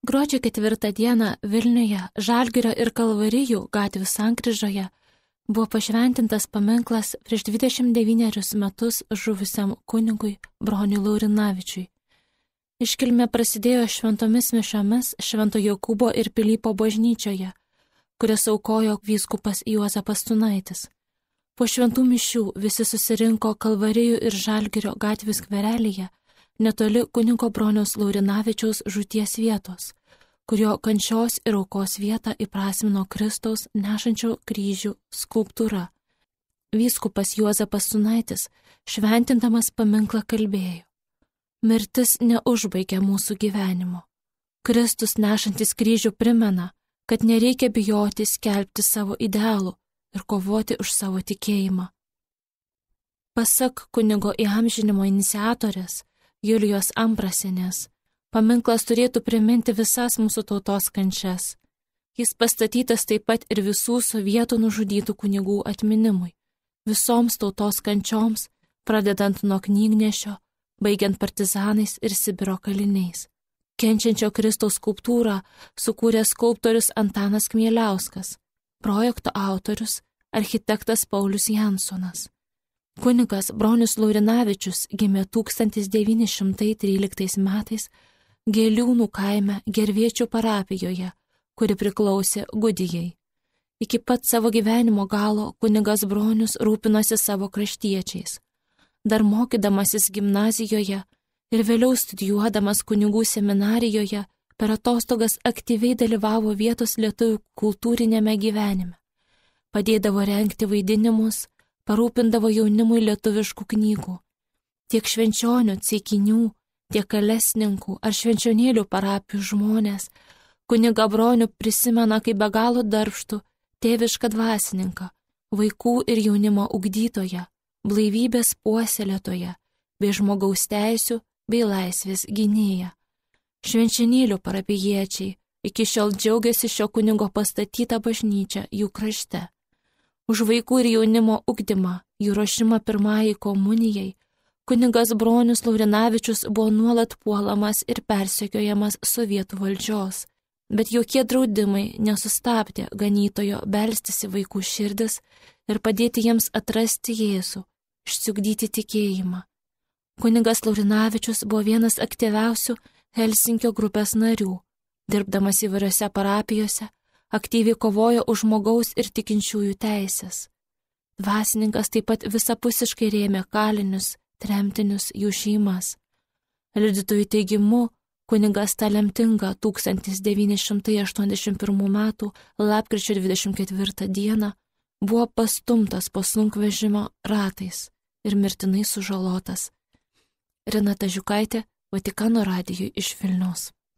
Gruodžio 4 dieną Vilniuje, Žalgirio ir Kalvarijų gatvių sankryžoje buvo pašventintas paminklas prieš 29 metus žuvusiam kunigui Broniui Laurinavičiui. Iškilmė prasidėjo šventomis mišiomis Švento Jokūbo ir Pilypo bažnyčioje, kurias aukojo vyskupas Juozapas Tunaitis. Po šventų mišių visi susirinko Kalvarijų ir Žalgirio gatvių skverelyje, netoli kunigo Broniaus Laurinavičiaus žūties vietos, kurio kančios ir aukos vietą įprasmino Kristaus nešančio kryžių skulptūra. Vyskupas Juozapas Tunaitis šventindamas paminklą kalbėjo: mirtis neužbaigia mūsų gyvenimo. Kristus nešantis kryžių primena, kad nereikia bijoti skelbti savo idealų ir kovoti už savo tikėjimą. Pasak kunigo įamžinimo iniciatorės Julijos Ambrasienės, paminklas turėtų priminti visas mūsų tautos kančias. Jis pastatytas taip pat ir visų sovietų nužudytų kunigų atminimui, visoms tautos kančioms, pradedant nuo knygnešio, baigiant partizanais ir Sibiro kaliniais. Kenčiančio Kristaus skulptūrą sukūrė skulptorius Antanas Kmieliauskas, projekto autorius architektas Paulius Jansonas. Kunigas Bronius Laurinavičius gimė 1913 metais Gėliūnų kaime Gerviečių parapijoje, kuri priklausė Gudijai. Iki pat savo gyvenimo galo kunigas Bronius rūpinosi savo kraštiečiais. Dar mokydamasis gimnazijoje ir vėliau studijuodamas kunigų seminarijoje, per atostogas aktyviai dalyvavo vietos lietuvių kultūrinėme gyvenime. Padėdavo rengti vaidinimus, parūpindavo jaunimui lietuviškų knygų. Tiek švenčionių, ceikinių, tiek kalesninkų ar švenčionėlių parapijų žmonės kunigą Bronių prisimena kaip be galo darbštų, tėvišką dvasininką, vaikų ir jaunimo ugdytoją, blaivybės puoselėtoją, bei žmogaus teisių bei laisvės gynėją. Švenčionėlių parapijiečiai iki šiol džiaugiasi šio kunigo pastatytą bažnyčią jų krašte. Už vaikų ir jaunimo ugdymą, jų ruošimą pirmajai komunijai, kunigas Bronius Laurinavičius buvo nuolat puolamas ir persekiojamas sovietų valdžios, bet jokie draudimai nesustabdė ganytojo belstis į vaikų širdis ir padėti jiems atrasti Jėzų, išsiugdyti tikėjimą. Kunigas Laurinavičius buvo vienas aktyviausių Helsinkio grupės narių, dirbdamas įvairiose parapijose, aktyviai kovojo už žmogaus ir tikinčiųjų teisės. Dvasininkas taip pat visapusiškai rėmė kalinius, tremtinius, jų šeimas. Liudytojų teigimu, kunigas tą lemtingą 1981 m. lapkričio 24 d. buvo pastumtas po sunkvežimio ratais ir mirtinai sužalotas. Renata Žiukaitė, Vatikano radijui iš Vilniaus.